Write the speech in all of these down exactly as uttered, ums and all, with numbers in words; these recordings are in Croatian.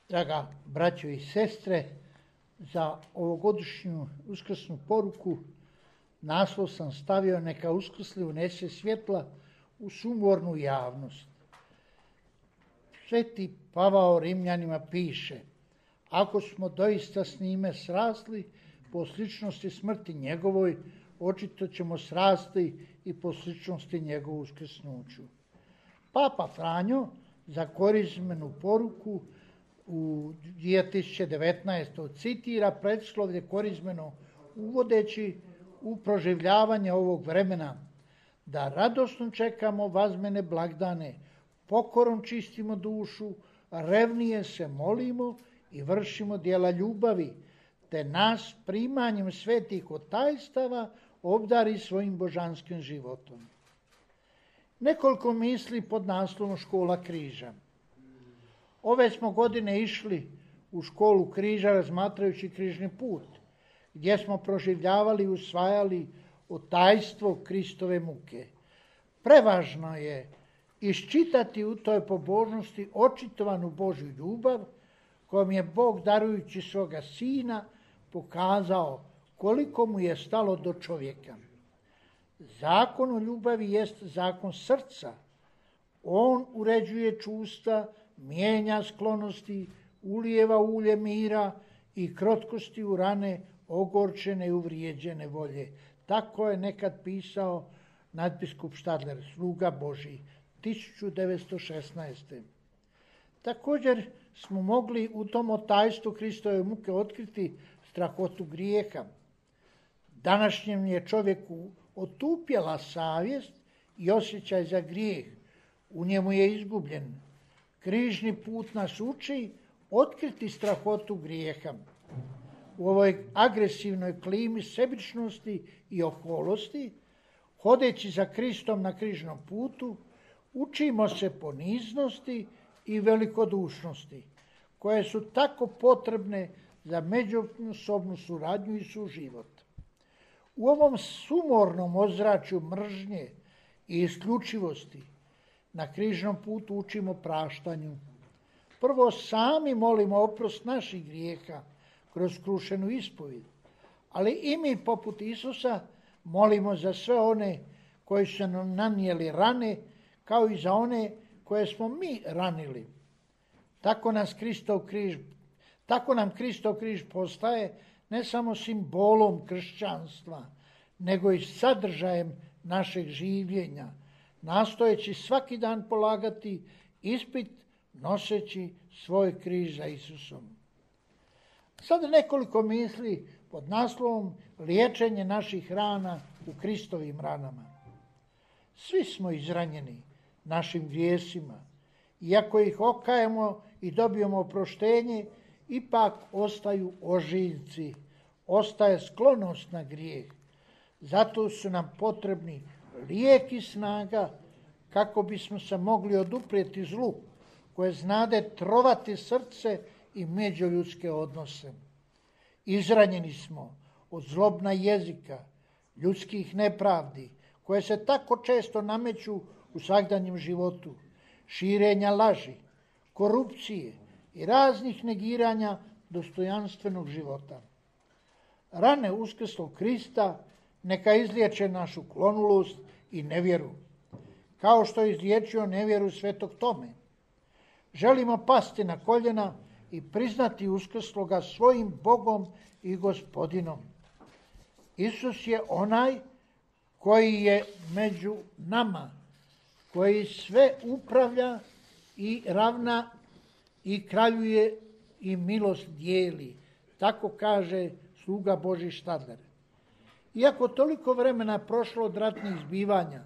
Draga braćo i sestre, za ovogodišnju uskrsnu poruku naslov sam stavio neka uskrsli unese svjetla u sumornu javnost. Sveti Pavao Rimljanima piše: ako smo doista s njime srasli po sličnosti smrti njegovoj, očito ćemo srasti i po sličnosti njegovu uskrsnuću. Papa Franjo za korizmenu poruku u dvije tisuće devetnaestoj citira predslovlje korizmeno uvodeći u proživljavanje ovog vremena: da radosno čekamo vazmene blagdane, pokorom čistimo dušu, revnije se molimo i vršimo djela ljubavi, te nas primanjem svetih otajstava obdari svojim božanskim životom. Nekoliko misli pod naslovom Škola križa. Ove smo godine išli u školu križa razmatrajući križni put, gdje smo proživljavali i usvajali otajstvo Kristove muke. Prevažno je iščitati u toj pobožnosti očitovanu Božju ljubav, kojom je Bog darujući svoga Sina pokazao koliko mu je stalo do čovjeka. Zakon o ljubavi jest zakon srca. On uređuje čustva, mijenja sklonosti, ulijeva ulje mira i krotkosti u rane ogorčene i uvrijeđene volje. Tako je nekad pisao nadbiskup Štadler, sluga Božji, tisuću devetsto šesnaeste. Također smo mogli u tom otajstvu Kristove muke otkriti strahotu grijeha. Današnjem je čovjeku otupjela savjest i osjećaj za grijeh. U njemu je izgubljen. Križni put nas uči otkriti strahotu grijeha. U ovoj agresivnoj klimi sebičnosti i oholosti, hodeći za Kristom na križnom putu, učimo se poniznosti i velikodušnosti, koje su tako potrebne za međusobnu suradnju i suživot. U ovom sumornom ozračju mržnje i isključivosti na križnom putu učimo praštanju. Prvo sami molimo oprost naših grijeha kroz krušenu ispovijed, ali i mi poput Isusa molimo za sve one koji su nam nanijeli rane, kao i za one koje smo mi ranili. Tako nas Kristov križ, tako nam Kristov križ postaje ne samo simbolom kršćanstva, nego i sadržajem našeg življenja, nastojeći svaki dan polagati ispit noseći svoj križ za Isusom. Sada nekoliko misli pod naslovom liječenje naših rana u Kristovim ranama. Svi smo izranjeni našim grijesima. Iako ih okajemo i dobijemo oproštenje, ipak ostaju ožiljci, ostaje sklonost na grijeh. Zato su nam potrebni lijek i snaga kako bismo se mogli oduprijeti zlu koje znade trovati srce i međuljudske odnose. Izranjeni smo od zlobna jezika, ljudskih nepravdi koje se tako često nameću u svakdanjem životu, širenja laži, korupcije i raznih negiranja dostojanstvenog života. Rane uskrslog Krista neka izliječe našu klonulost i nevjeru, kao što je izliječio nevjeru svetog Tome. Želimo pasti na koljena i priznati uskrsloga svojim Bogom i Gospodinom. Isus je onaj koji je među nama, koji sve upravlja i ravna i kraljuje i milost dijeli. Tako kaže sluga Božji Štadler. Iako toliko vremena prošlo od ratnih zbivanja,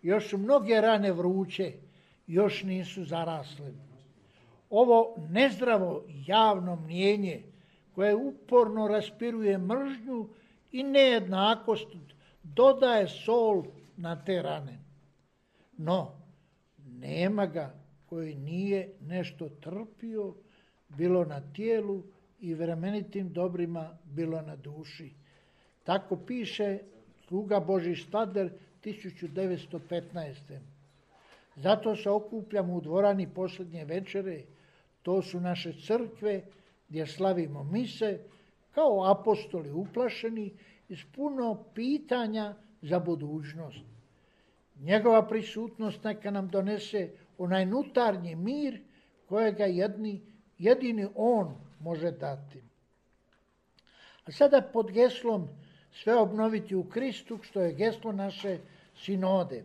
još su mnoge rane vruće, još nisu zarasle. Ovo nezdravo javno mnijenje koje uporno raspiruje mržnju i nejednakost dodaje sol na te rane. No, nema ga koji nije nešto trpio, bilo na tijelu i vremenitim dobrima, bilo na duši. Tako piše sluga Božji Štadler tisuću devetsto petnaeste. Zato se okupljamo u dvorani posljednje večere, To su naše crkve gdje slavimo mise kao apostoli uplašeni i s puno pitanja za budućnost. Njegova prisutnost neka nam donese onaj unutarnji mir kojega jedni, jedini on može dati. A sada pod geslom sve obnoviti u Kristu, što je geslo naše sinode.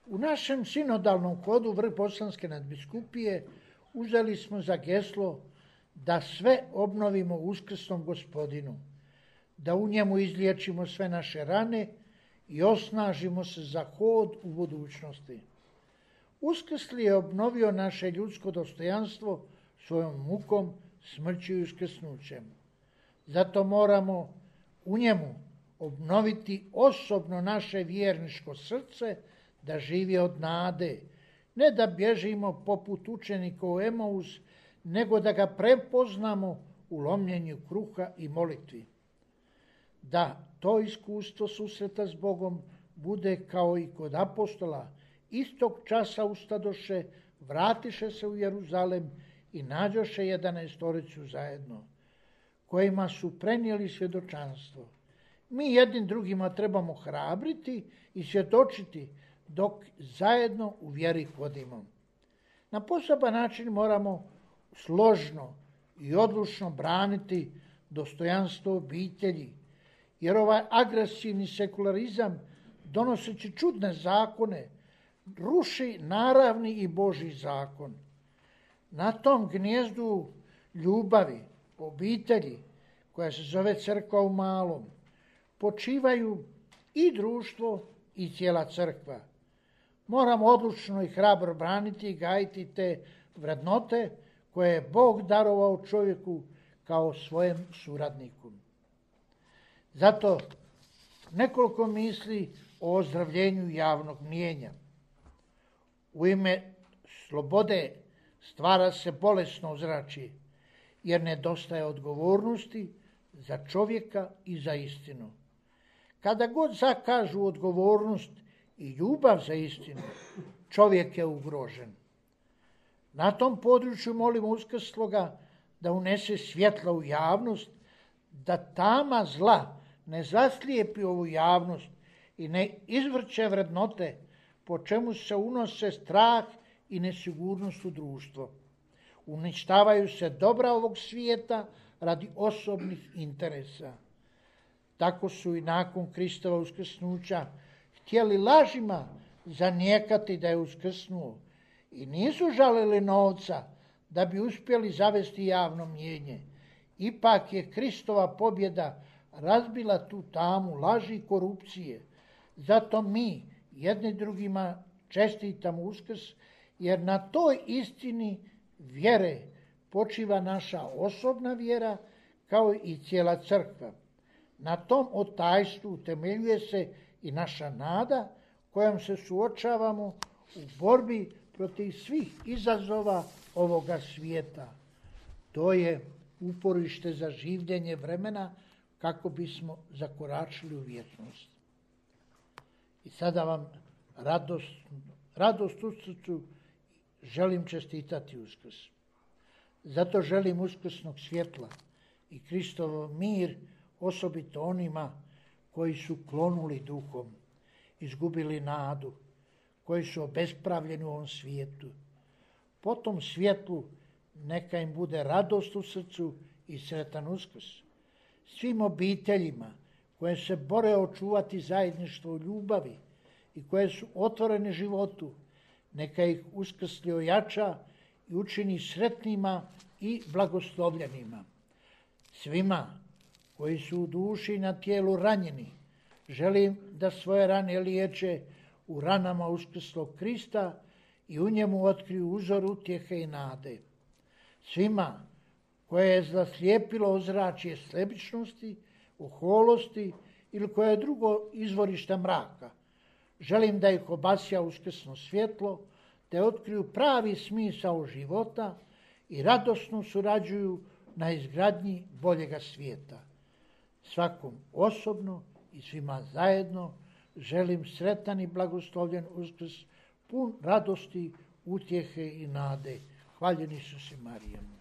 U našem sinodalnom kodu Vrh-Bosanske nadbiskupije uzeli smo za geslo da sve obnovimo u uskrsnom Gospodinu, da u njemu izliječimo sve naše rane i osnažimo se za hod u budućnosti. Uskrsli je obnovio naše ljudsko dostojanstvo svojom mukom, smrću i uskrsnućem. Zato moramo u njemu obnoviti osobno naše vjerničko srce, da živi od nade, ne da bježimo poput učenika u Emaus, nego da ga prepoznamo u lomljenju kruha i molitvi. Da to iskustvo susreta s Bogom bude kao i kod apostola, istog časa ustadoše, vratiše se u Jeruzalem i nađoše jedanaestoricu zajedno, kojima su prenijeli svjedočanstvo. Mi jednim drugima trebamo hrabriti i svjedočiti dok zajedno u vjeri hodimo. Na poseban način moramo složno i odlučno braniti dostojanstvo obitelji, jer ovaj agresivni sekularizam, donoseći čudne zakone, ruši naravni i Božji zakon. Na tom gnijezdu ljubavi, obitelji, koja se zove crkva u malom, počivaju i društvo i cijela crkva. Moramo odlučno i hrabro braniti i gajiti te vrednote koje je Bog darovao čovjeku kao svojem suradniku. Zato nekoliko misli o ozdravljenju javnog mnijenja. U ime slobode stvara se bolesno ozračje, jer nedostaje odgovornosti za čovjeka i za istinu. Kada god zakažu odgovornost i ljubav za istinu, čovjek je ugrožen. Na tom području molimo Uskrsloga da unese svjetla u javnost, da tama zla ne zaslijepi ovu javnost i ne izvrće vrednote po čemu se unose strah i nesigurnost u društvo. Uništavaju se dobra ovog svijeta radi osobnih interesa. Tako su i nakon Kristova uskrsnuća htjeli lažima zanijekati da je uskrsnuo i nisu žalili novca da bi uspjeli zavesti javno mnijenje. Ipak je Kristova pobjeda razbila tu tamu laži i korupcije. Zato mi jedni drugima čestitamo Uskrs, jer na toj istini vjere počiva naša osobna vjera kao i cijela crkva. Na tom otajstvu utemeljuje se i naša nada kojom se suočavamo u borbi protiv svih izazova ovoga svijeta. To je uporište za življenje vremena kako bismo zakoračili u vječnost. I sada vam radost, radost u srcu želim čestitati Uskrs. Zato želim uskrsnog svjetla i Kristovo mir osobito onima koji su klonuli duhom, izgubili nadu, koji su obespravljeni u ovom svijetu. Po tom svjetlu neka im bude radost u srcu i sretan Uskrs. Svim obiteljima koje se bore očuvati zajedništvo u ljubavi i koje su otvorene životu, neka ih Uskrsli ojača i učini sretnima i blagoslovljenima. Svima koji su u duši i na tijelu ranjeni, želim da svoje rane liječe u ranama Uskrslog Krista i u njemu otkriju uzor utjehe i nade. Svima koje je zaslijepilo ozračje sebičnosti, oholosti ili koje je drugo izvorište mraka, želim da ih obasja uskrsno svjetlo, te otkriju pravi smisao života i radosno surađuju na izgradnji boljega svijeta. Svakom osobno i svima zajedno želim sretan i blagoslovljen Uskrs, pun radosti, utjehe i nade. Hvaljeni su si Marijo.